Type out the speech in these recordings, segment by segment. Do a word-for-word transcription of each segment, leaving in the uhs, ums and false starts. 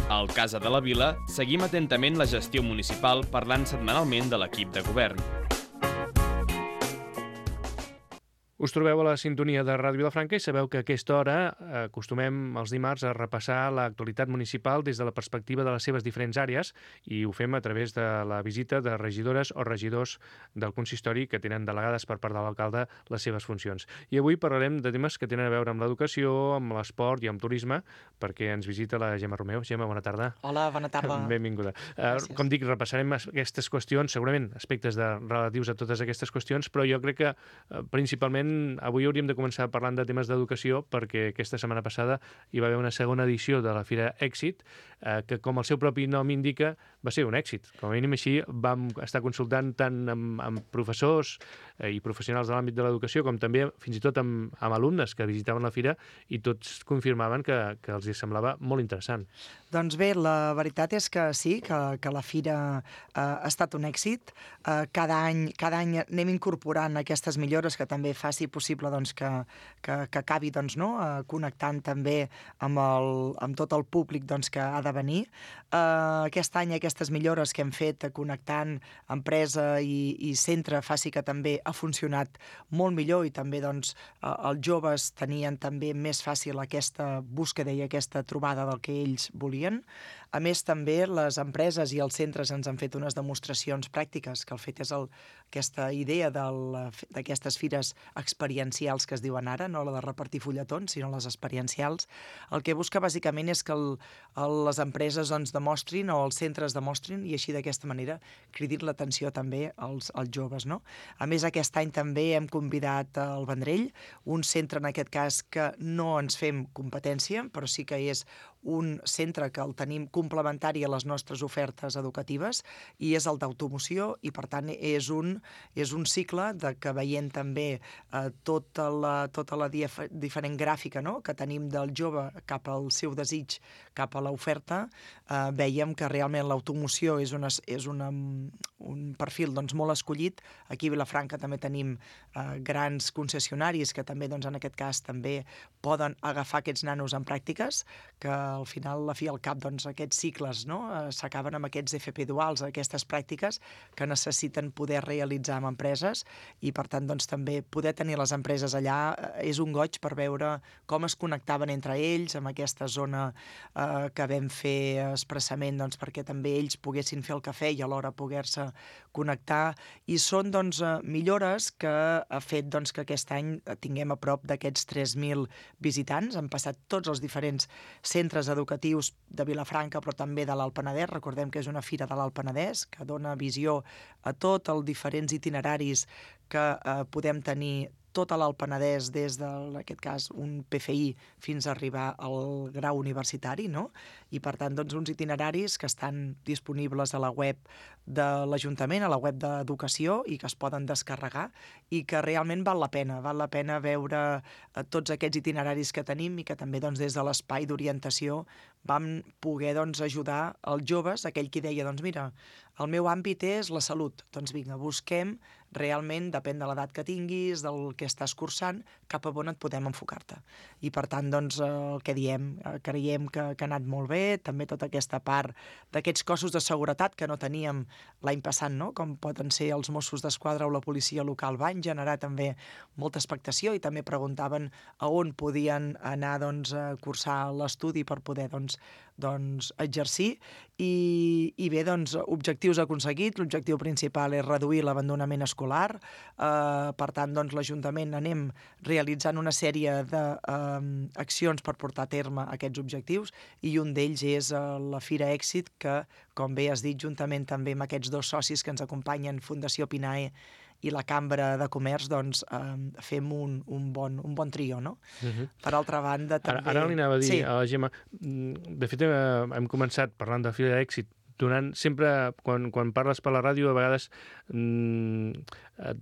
Al Casa de la Vila seguim atentament la gestió municipal parlant setmanalment de l'equip de govern. Us trobeu a la sintonia de Ràdio Vilafranca i sabeu que a aquesta hora acostumem els dimarts a repassar l'actualitat municipal des de la perspectiva de les seves diferents àrees i ho fem a través de la visita de regidores o regidors del consistori que tenen delegades per part de l'alcalde les seves funcions. I avui parlarem de temes que tenen a veure amb l'educació, amb l'esport i amb turisme, perquè ens visita la Gemma Romeu. Gemma, bona tarda. Hola, bona tarda. Benvinguda. Uh, com dic, repassarem aquestes qüestions, segurament aspectes de, relatius a totes aquestes qüestions, però jo crec que uh, principalment avui hauríem de començar parlant de temes d'educació perquè aquesta setmana passada hi va haver una segona edició de la Fira Èxit eh, que, com el seu propi nom indica, va ser un èxit. Com a mínim així vam estar consultant tant amb, amb professors eh, i professionals de l'àmbit de l'educació com també fins i tot amb, amb alumnes que visitaven la Fira i tots confirmaven que, que els semblava molt interessant. Doncs bé, la veritat és que sí, que, que la Fira eh, ha estat un èxit. Eh, cada any, cada any anem incorporant aquestes millores que també faci possible doncs, que, que, que acabi doncs, no? eh, connectant també amb, el, amb tot el públic doncs, que ha de venir. Eh, aquest any aquestes millores que hem fet connectant empresa i, i centre faci que també ha funcionat molt millor i també doncs, eh, els joves tenien també més fàcil aquesta búsqueda i aquesta trobada del que ells volien. A més, també les empreses i els centres ens han fet unes demostracions pràctiques, que el fet és el, aquesta idea d'aquestes fires experiencials que es diuen ara, no la de repartir fulletons, sinó les experiencials. El que busca bàsicament és que el, el, les empreses doncs, demostrin o els centres demostrin i així d'aquesta manera cridin l'atenció també als, als joves. No? A més, aquest any també hem convidat al Vendrell, un centre en aquest cas que no ens fem competència, però sí que és un centre que el tenim complementari a les nostres ofertes educatives i és el d'automoció i per tant és un, és un cicle de que veient també eh, tota la, tota la dif diferent gràfica no? que tenim del jove cap al seu desig, cap a l'oferta, eh, veiem que realment l'automoció és, una, és una, un perfil doncs, molt escollit. Aquí a Vilafranca també tenim eh, grans concessionaris que també doncs, en aquest cas també poden agafar aquests nanos en pràctiques, que al final, a fi al cap, doncs, aquests cicles no? eh, s'acaben amb aquests F P duals, aquestes pràctiques que necessiten poder realitzar amb empreses i, per tant, doncs, també poder tenir les empreses allà eh, és un goig per veure com es connectaven entre ells, amb aquesta zona eh, que vam fer expressament doncs, perquè també ells poguessin fer el cafè i alhora poder-se connectar. I són doncs, millores que ha fet doncs, que aquest any tinguem a prop d'aquests tres mil visitants. Han passat tots els diferents centres educatius de Vilafranca, però també de l'Alt Penedès. Recordem que és una fira de l'Alt Penedès que dona visió a tots els diferents itineraris que eh, podem tenir tot a l'Alt Penedès des de, en aquest cas, un P F I fins a arribar al grau universitari, no? I, per tant, doncs, uns itineraris que estan disponibles a la web de l'Ajuntament, a la web d'Educació, i que es poden descarregar, i que realment val la pena. Val la pena veure tots aquests itineraris que tenim i que també, doncs, des de l'espai d'orientació vam poder, doncs, ajudar els joves, aquell qui deia, doncs, mira, el meu àmbit és la salut. Doncs vinga, busquem realment, depèn de l'edat que tinguis, del que estàs cursant, cap a on et podem enfocar-te. I per tant, doncs, el que diem, creiem que, que ha anat molt bé, també tota aquesta part d'aquests cossos de seguretat que no teníem l'any passat, no? Com poden ser els Mossos d'Esquadra o la policia local, van generar també molta expectació i també preguntaven a on podien anar doncs, a cursar l'estudi per poder doncs, doncs, exercir. I, i bé, doncs, objectius aconseguits. L'objectiu principal és reduir l'abandonament escolar. Eh, per tant, doncs, l'Ajuntament anem realitzant una sèrie d'accions eh, per portar a terme aquests objectius i un d'ells és eh, la Fira Èxit que, com bé has dit, juntament també amb aquests dos socis que ens acompanyen, Fundació Pinae i la Cambra de Comerç, doncs eh, fem un, un, bon, un bon trio, no? Uh-huh. Per altra banda, també... Ara, ara li anava a dir sí. a la Gemma, de fet eh, hem començat parlant de Fira d'Èxit, donant sempre, quan, quan parles per la ràdio, a vegades mmm,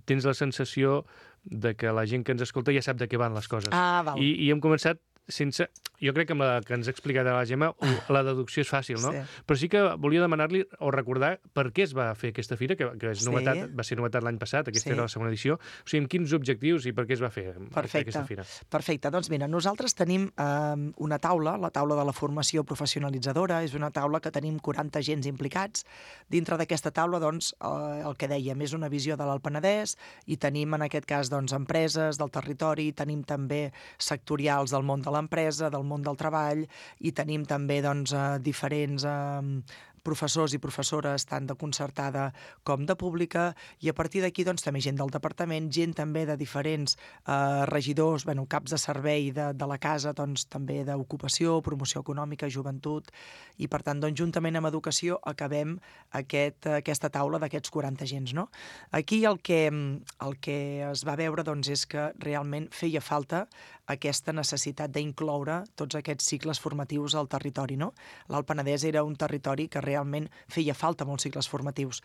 tens la sensació de que la gent que ens escolta ja sap de què van les coses. Ah, val. I, i hem començat sense... Jo crec que amb la que ens ha explicat la Gemma, la deducció és fàcil, no? Sí. Però sí que volia demanar-li o recordar per què es va fer aquesta fira, que, que és novetat, Sí. va ser novetat l'any passat, aquesta Sí. era la segona edició. O sigui, amb quins objectius i per què es va fer Perfecte. aquesta fira? Perfecte. Doncs mira, nosaltres tenim eh, una taula, la taula de la formació professionalitzadora, és una taula que tenim quaranta agents implicats. Dintre d'aquesta taula, doncs, eh, el que dèiem, és una visió de l'Alt Penedès i tenim, en aquest cas, doncs, empreses del territori, tenim també sectorials del món de l'empresa, del món del treball, i tenim també doncs, eh, diferents eh, professors i professores tant de concertada com de pública, i a partir d'aquí doncs, també gent del departament, gent també de diferents eh, regidors, bueno, caps de servei de, de la casa, doncs, també d'ocupació, promoció econòmica, joventut, i per tant, doncs, juntament amb educació acabem aquest, aquesta taula d'aquests quaranta agents. No? Aquí el que, el que es va veure doncs, és que realment feia falta aquesta necessitat d'incloure tots aquests cicles formatius al territori. No? L'Alt Penedès era un territori que realment feia falta molts cicles formatius.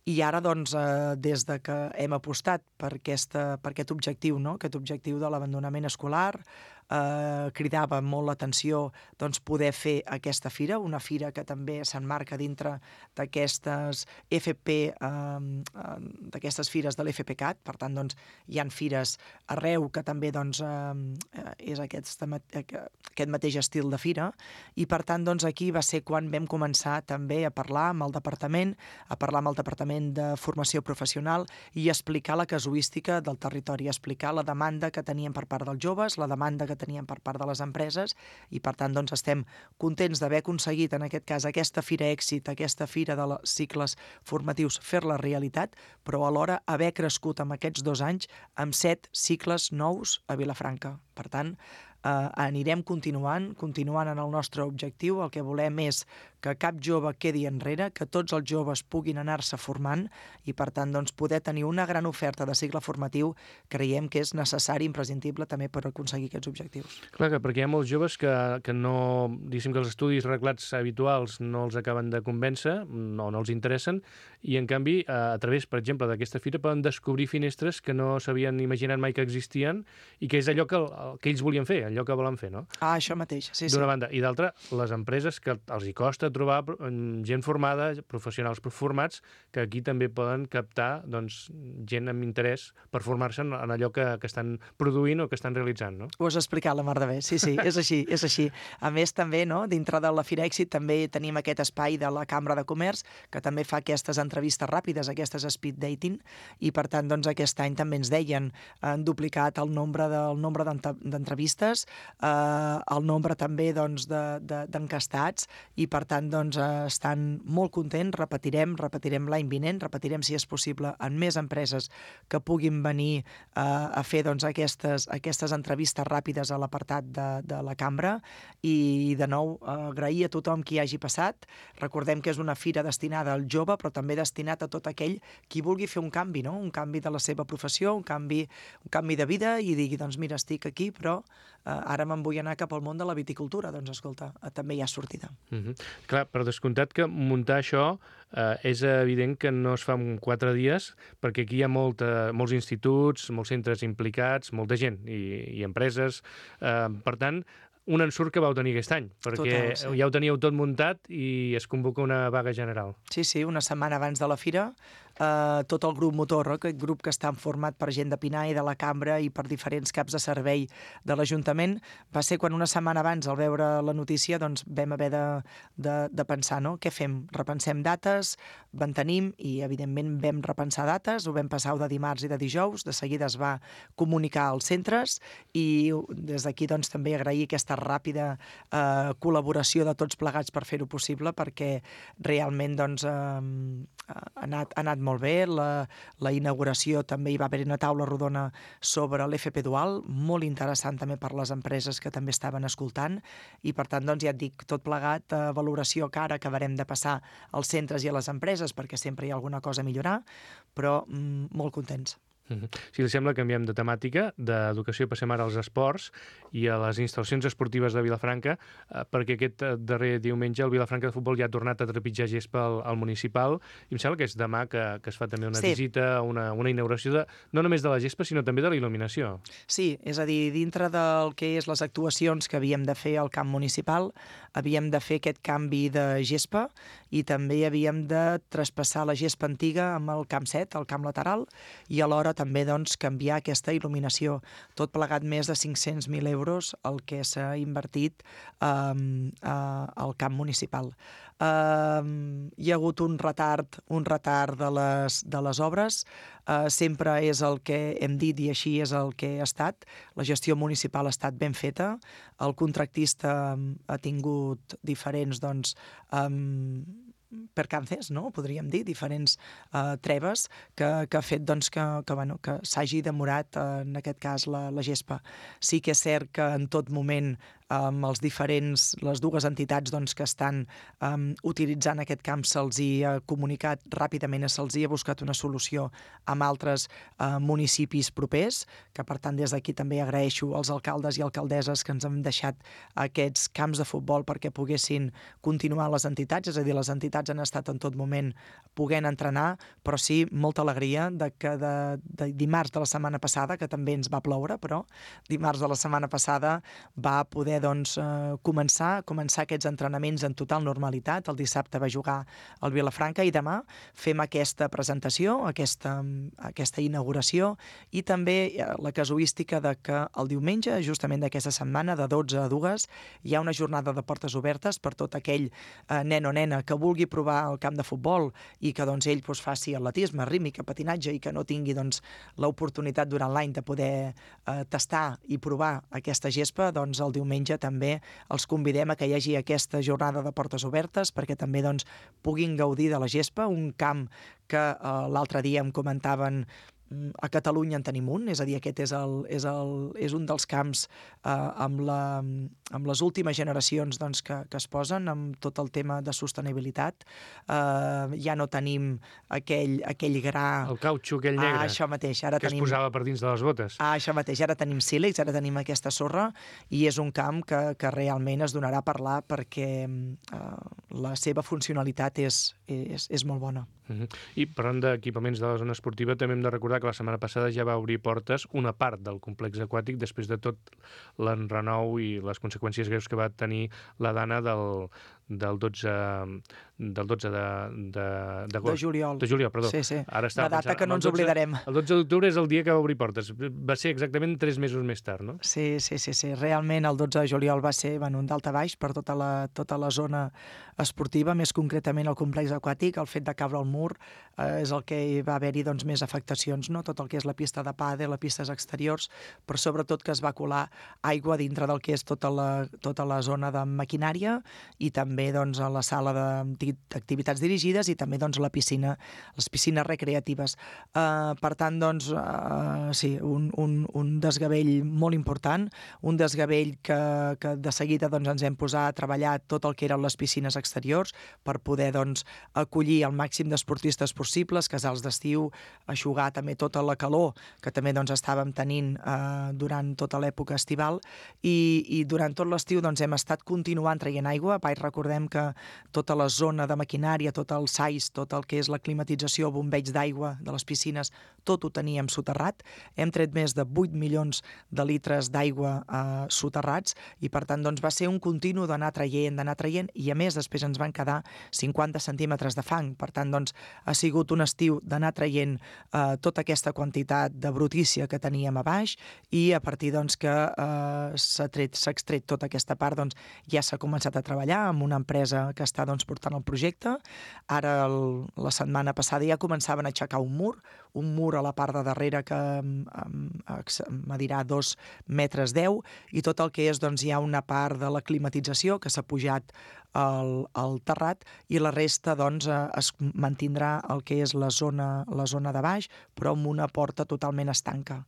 I ara, doncs, eh, des de que hem apostat per, aquesta, per aquest objectiu, no? aquest objectiu de l'abandonament escolar, eh, cridava molt l'atenció doncs, poder fer aquesta fira, una fira que també s'emmarca dintre d'aquestes F P, eh, d'aquestes fires de l'F P C A T, per tant, doncs, hi han fires arreu que també doncs, eh, és aquest, aquest mateix estil de fira, i per tant, doncs, aquí va ser quan vam començar també a parlar amb el departament, a parlar amb el Departament de Formació Professional i explicar la casuística del territori, explicar la demanda que tenien per part dels joves, la demanda que tenien per part de les empreses, i per tant doncs, estem contents d'haver aconseguit en aquest cas aquesta fira èxit, aquesta fira de cicles formatius, fer-la realitat, però alhora haver crescut en aquests dos anys amb set cicles nous a Vilafranca. Per tant, eh, anirem continuant, continuant en el nostre objectiu. El que volem és que cap jove quedi enrere, que tots els joves puguin anar-se formant i, per tant, doncs, poder tenir una gran oferta de cicle formatiu, creiem que és necessari, imprescindible, també per aconseguir aquests objectius. Clar, que perquè hi ha molts joves que, que no, diguéssim que els estudis reglats habituals no els acaben de convèncer, no, no els interessen, i en canvi, a través, per exemple, d'aquesta fira poden descobrir finestres que no s'havien imaginat mai que existien i que és allò que, que ells volien fer, allò que volen fer, no? Ah, això mateix, sí, sí. D'una banda. I d'altra, les empreses que els hi costa trobar gent formada, professionals formats, que aquí també poden captar doncs, gent amb interès per formar-se en allò que, que estan produint o que estan realitzant, no? Ho has explicat, la mar de bé. Sí, sí, és així, és així. A més, també, no, dintre de la Fira Èxit també tenim aquest espai de la Cambra de Comerç, que també fa aquestes entrevistes ràpides, aquestes speed dating, i per tant, doncs, aquest any també ens deien, han duplicat el nombre del nombre d'entrevistes, eh, el nombre també doncs, d'encastats, de, de, i per tant, doncs, eh, estan molt contents, repetirem, repetirem l'any vinent, repetirem, si és possible, en més empreses que puguin venir eh, a fer doncs, aquestes, aquestes entrevistes ràpides a l'apartat de, de la cambra, i de nou eh, agrair a tothom qui hagi passat. Recordem que és una fira destinada al jove, però també destinat a tot aquell qui vulgui fer un canvi, no? Un canvi de la seva professió, un canvi, un canvi de vida, i digui, doncs mira, estic aquí, però eh, ara me'n vull anar cap al món de la viticultura. Doncs escolta, eh, també hi ha sortida. Mm-hmm. Clar, però descomptat que muntar això eh, és evident que no es fa en quatre dies, perquè aquí hi ha molta, molts instituts, molts centres implicats, molta gent i, i empreses. Eh, per tant, un ensurt que vau tenir aquest any, perquè Total, sí. ja ho teníeu tot muntat i es convoca una vaga general. Sí, sí, una setmana abans de la fira, eh, tot el grup motor, aquest grup que està format per gent de Pinar i de la Cambra i per diferents caps de servei de l'Ajuntament, va ser quan una setmana abans, al veure la notícia, doncs vam haver de, de, de pensar, no? Què fem? Repensem dates, mantenim, i evidentment vam repensar dates, ho vam passar de dimarts i de dijous, de seguida es va comunicar als centres, i des d'aquí doncs, també agrair aquesta ràpida eh, col·laboració de tots plegats per fer-ho possible, perquè realment doncs, eh, ha, anat, ha anat molt bé. La, la inauguració també hi va haver una taula rodona sobre l'F P dual, molt interessant també per les empreses que també estaven escoltant, i per tant, doncs, ja et dic, tot plegat, eh, valoració que ara acabarem de passar als centres i a les empreses, perquè sempre hi ha alguna cosa a millorar, però mm, molt contents. Si li sembla, canviem de temàtica. D'educació passem ara als esports i a les instal·lacions esportives de Vilafranca, eh, perquè aquest darrer diumenge el Vilafranca de Futbol ja ha tornat a trepitjar gespa al, al municipal, i em sembla que és demà que, que es fa també una sí. visita, una, una inauguració, de, no només de la gespa, sinó també de la il·luminació. Sí, és a dir, dintre del que és les actuacions que havíem de fer al camp municipal, havíem de fer aquest canvi de gespa i també havíem de traspassar la gespa antiga amb el camp set, el camp lateral, i alhora també doncs, canviar aquesta il·luminació. Tot plegat més de cinc-cents mil euros el que s'ha invertit um, uh, al camp municipal. Um, hi ha hagut un retard, un retard de les, de les obres. Uh, sempre és el que hem dit i així és el que ha estat. La gestió municipal ha estat ben feta. El contractista um, ha tingut diferents doncs, um, percances, no? Podríem dir, diferents uh, treves que, que ha fet doncs, que, que, bueno, que s'hagi demorat, uh, en aquest cas, la, la gespa. Sí que és cert que en tot moment amb els diferents, les dues entitats doncs, que estan um, utilitzant aquest camp se'ls hi ha comunicat ràpidament, se'ls hi ha buscat una solució amb altres uh, municipis propers, que per tant des d'aquí també agraeixo als alcaldes i alcaldesses que ens han deixat aquests camps de futbol perquè poguessin continuar les entitats, és a dir, les entitats han estat en tot moment poguent entrenar, però sí, molta alegria de que de, de dimarts de la setmana passada, que també ens va ploure, però dimarts de la setmana passada va poder doncs, eh, començar, començar aquests entrenaments en total normalitat. El dissabte va jugar al Vilafranca i demà fem aquesta presentació, aquesta, aquesta inauguració i també la casuística de que el diumenge, justament d'aquesta setmana, de dotze a dues, hi ha una jornada de portes obertes per tot aquell eh, nen o nena que vulgui provar el camp de futbol i que doncs, ell doncs, faci atletisme, rítmica, patinatge i que no tingui doncs, l'oportunitat durant l'any de poder eh, tastar i provar aquesta gespa, doncs el diumenge també els convidem a que hi hagi aquesta jornada de portes obertes perquè també doncs, puguin gaudir de la gespa, un camp que eh, l'altre dia em comentaven a Catalunya en tenim un, és a dir, aquest és, el, és, el, és un dels camps eh, amb, la, amb les últimes generacions doncs, que, que es posen amb tot el tema de sostenibilitat. Eh, ja no tenim aquell, aquell gra... El cautxo, aquell negre, ah, això mateix. Ara que tenim... es posava per dins de les botes. Ah, això mateix. Ara tenim sílex, ara tenim aquesta sorra i és un camp que, que realment es donarà a parlar perquè eh, la seva funcionalitat és, és, és molt bona. Uh-huh. I parlant d'equipaments de la zona esportiva, també hem de recordar que la setmana passada ja va obrir portes una part del complex aquàtic després de tot l'enrenou i les conseqüències greus que va tenir la dana del, del dotze del dotze de, de, de juliol. De juliol, perdó. Sí, sí. Ara una data pensant, que no ens dotze, oblidarem. El dotze d'octubre és el dia que va obrir portes. Va ser exactament tres mesos més tard, no? Sí, sí, sí. sí. Realment el dotze de juliol va ser bueno, un daltabaix per tota la, tota la zona esportiva, més concretament el complex aquàtic. El fet de caure al mur eh, és el que va haver-hi doncs, més afectacions, no? Tot el que és la pista de pàdel, les pistes exteriors, però sobretot que es va colar aigua dintre del que és tota la, tota la zona de maquinària i també doncs, a la sala d'activitats dirigides i també doncs, la piscina, les piscines recreatives. Uh, per tant, doncs, uh, sí, un, un, un desgavell molt important, un desgavell que, que de seguida doncs, ens hem posat a treballar tot el que eren les piscines exteriors per poder doncs, acollir el màxim d'esportistes possibles, casals d'estiu, aixugar també tota la calor que també doncs, estàvem tenint uh, durant tota l'època estival i, i durant tot l'estiu doncs, hem estat continuant traient aigua. Vaig recordem que tota la zona de maquinària, tot el S A I S, tot el que és la climatització, bombeig d'aigua de les piscines, tot ho teníem soterrat. Hem tret més de vuit milions de litres d'aigua eh, soterrats i per tant doncs, va ser un continu d'anar traient, d'anar traient i a més després ens van quedar cinquanta centímetres de fang. Per tant doncs, ha sigut un estiu d'anar traient eh, tota aquesta quantitat de brutícia que teníem a baix i a partir doncs, que eh, s'ha tret, s'ha extret tota aquesta part doncs, ja s'ha començat a treballar amb una empresa que està doncs, portant el projecte. Ara, el, la setmana passada, ja començaven a aixecar un mur, un mur a la part de darrere que medirà dos metres deu, i tot el que és, doncs, hi ha una part de la climatització que s'ha pujat al, al terrat, i la resta doncs, eh, es mantindrà el que és la zona, la zona de baix, però amb una porta totalment estanca.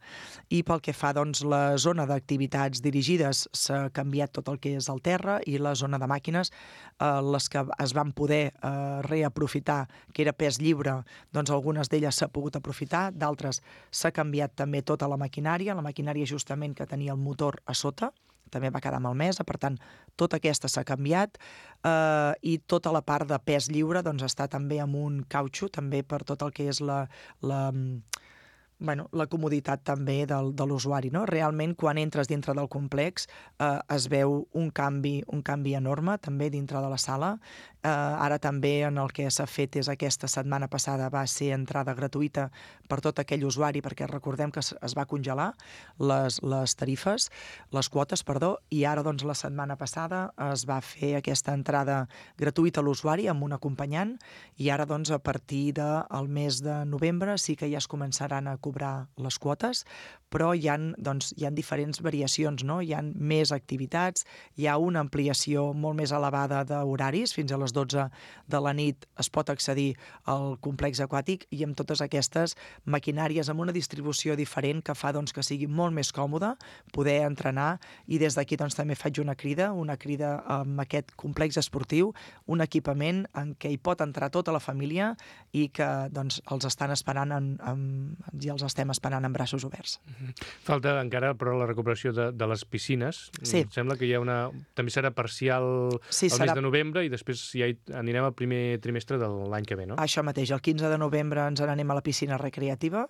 I pel que fa doncs, la zona d'activitats dirigides, s'ha canviat tot el que és el terra, i la zona de màquines, eh, les que es van poder eh, reaprofitar, que era pes lliure, doncs algunes d'elles s'ha pogut aprofitar, d'altres s'ha canviat també tota la maquinària, la maquinària justament que tenia el motor a sota, també va quedar malmesa, per tant, tota aquesta s'ha canviat, eh, i tota la part de pes lliure doncs, està també amb un cautxo, també per tot el que és la... la Bueno, la comoditat també del, de l'usuari, no? Realment, quan entres dintre del complex, eh, es veu un canvi, un canvi enorme, també dintre de la sala. Eh, ara també en el que s'ha fet és aquesta setmana passada va ser entrada gratuïta per tot aquell usuari, perquè recordem que es va congelar les, les tarifes, les quotes, perdó, i ara doncs la setmana passada es va fer aquesta entrada gratuïta a l'usuari amb un acompanyant, i ara doncs a partir del mes de novembre sí que ja es començaran a cobrar les quotes, però hi ha, doncs, hi ha diferents variacions, no? Hi ha més activitats, hi ha una ampliació molt més elevada d'horaris, fins a les dotze de la nit es pot accedir al complex aquàtic, i amb totes aquestes maquinàries amb una distribució diferent que fa doncs, que sigui molt més còmode poder entrenar, i des d'aquí doncs, també faig una crida, una crida amb aquest complex esportiu, un equipament en què hi pot entrar tota la família i que doncs, els estan esperant en, en, i els estem esperant amb braços oberts. Falta encara, però, la recuperació de, de les piscines. Sí. Em sembla que hi ha una... També serà parcial sí, el serà... mes de novembre, i després ja hi anirem al primer trimestre de l'any que ve, no? Això mateix, el quinze de novembre ens n'anem a la piscina recreativa.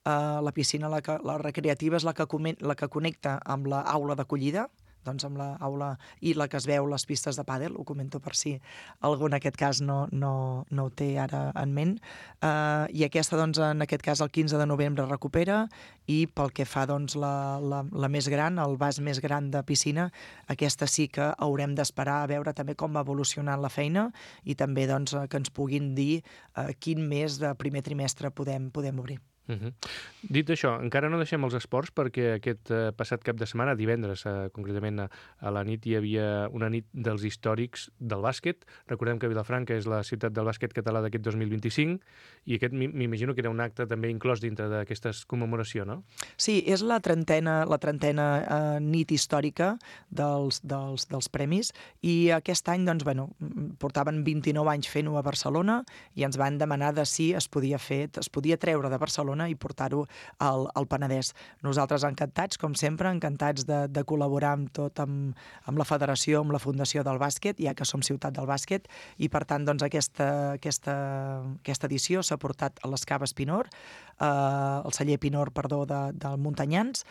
Uh, la piscina la, que, la recreativa és la que, la que connecta amb l'aula d'acollida, doncs amb l'aula i la que es veu les pistes de pàdel, ho comento per si algú en aquest cas no, no, no ho té ara en ment. Uh, I aquesta, doncs, en aquest cas, el quinze de novembre recupera, i pel que fa doncs, la, la, la més gran, el vas més gran de piscina, aquesta sí que haurem d'esperar a veure també com va evolucionant la feina, i també doncs, que ens puguin dir uh, quin mes de primer trimestre podem, podem obrir. Uh -huh. Dit això, encara no deixem els esports, perquè aquest eh, passat cap de setmana, divendres eh, concretament a, a la nit, hi havia una nit dels històrics del bàsquet. Recordem que Vilafranca és la ciutat del bàsquet català d'aquest dos mil vint-i-cinc, i aquest m'imagino que era un acte també inclòs dintre d'aquesta commemoració, no? Sí, és la trentena, la trentena eh, nit històrica dels, dels, dels premis, i aquest any doncs, bueno, portaven vint-i-nou anys fent-ho a Barcelona, i ens van demanar de si es podia fer, es podia treure de Barcelona i portar-ho al, al Penedès. Nosaltres encantats, com sempre, encantats de, de col·laborar amb tot, amb, amb la federació, amb la Fundació del Bàsquet, ja que som ciutat del bàsquet, i per tant doncs, aquesta, aquesta, aquesta edició s'ha portat a les Caves Pinor, eh, el celler Pinor, perdó, de, del Muntanyans,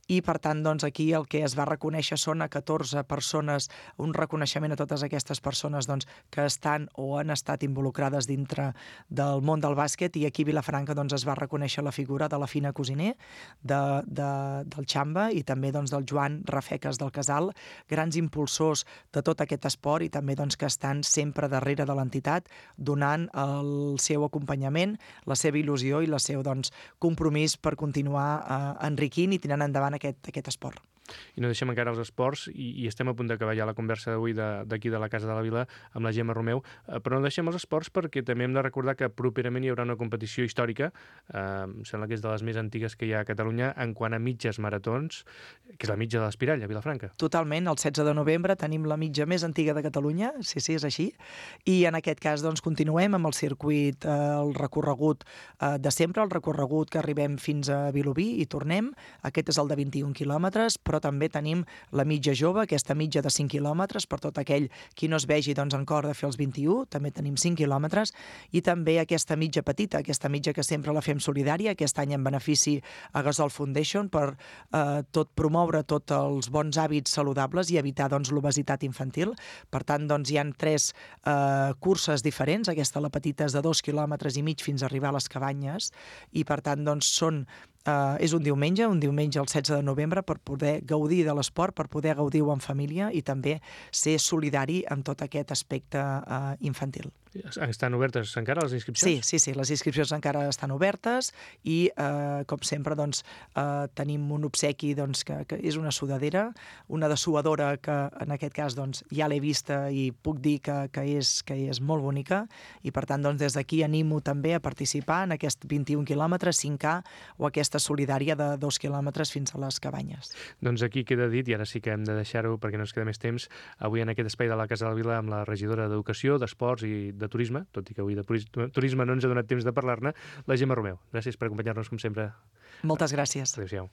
i per tant doncs, aquí el que es va reconèixer són a catorze persones, un reconeixement a totes aquestes persones doncs, que estan o han estat involucrades dintre del món del bàsquet, i aquí a Vilafranca doncs, es va reconèixer la figura de la Fina Cosiner, de, de, del Xamba, i també doncs, del Joan Rafeques del Casal, grans impulsors de tot aquest esport, i també doncs, que estan sempre darrere de l'entitat, donant el seu acompanyament, la seva il·lusió i el seu doncs, compromís per continuar eh, enriquint i tirant endavant aquest, aquest esport. I no deixem encara els esports, i, i estem a punt d'acabar ja la conversa d'avui d'aquí de, de la Casa de la Vila amb la Gemma Romeu, eh, però no deixem els esports perquè també hem de recordar que properament hi haurà una competició històrica, eh, em sembla que és de les més antigues que hi ha a Catalunya en quant a mitges maratons, que és la mitja de l'Espirall, a Vilafranca. Totalment, el setze de novembre tenim la mitja més antiga de Catalunya, sí, sí, és així, i en aquest cas doncs, continuem amb el circuit, eh, el recorregut eh, de sempre, el recorregut que arribem fins a Vilobí i tornem, aquest és el de vint-i-un quilòmetres, però també tenim la mitja jove, aquesta mitja de cinc quilòmetres, per tot aquell qui no es vegi doncs, en cor de fer els vint-i-u, també tenim cinc quilòmetres, i també aquesta mitja petita, aquesta mitja que sempre la fem solidària, aquest any en benefici a Gasol Foundation, per eh, tot promoure tots els bons hàbits saludables i evitar doncs, l'obesitat infantil. Per tant, doncs, hi ha tres eh, curses diferents, aquesta la petita és de dos quilòmetres i mig fins a arribar a les Cabanyes, i per tant doncs, són Uh, és un diumenge, un diumenge el setze de novembre, per poder gaudir de l'esport, per poder gaudir-ho en família i també ser solidari amb tot aquest aspecte uh, infantil. Estan obertes encara les inscripcions? Sí, sí, sí, les inscripcions encara estan obertes i, eh, com sempre, doncs, eh, tenim un obsequi doncs, que, que és una sudadera, una dessuadora que, en aquest cas, doncs, ja l'he vista i puc dir que, que, és, que és molt bonica i, per tant, doncs, des d'aquí animo també a participar en aquest vint-i-un quilòmetres, cinc K o aquesta solidària de dos quilòmetres fins a les cabanyes. Doncs aquí queda dit, i ara sí que hem de deixar-ho perquè no ens queda més temps, avui en aquest espai de la Casa de la Vila amb la regidora d'Educació, d'Esports i de Turisme, tot i que avui de turisme no ens ha donat temps de parlar-ne, la Gemma Romeu. Gràcies per acompanyar-nos, com sempre. Moltes gràcies. Adéu-siau.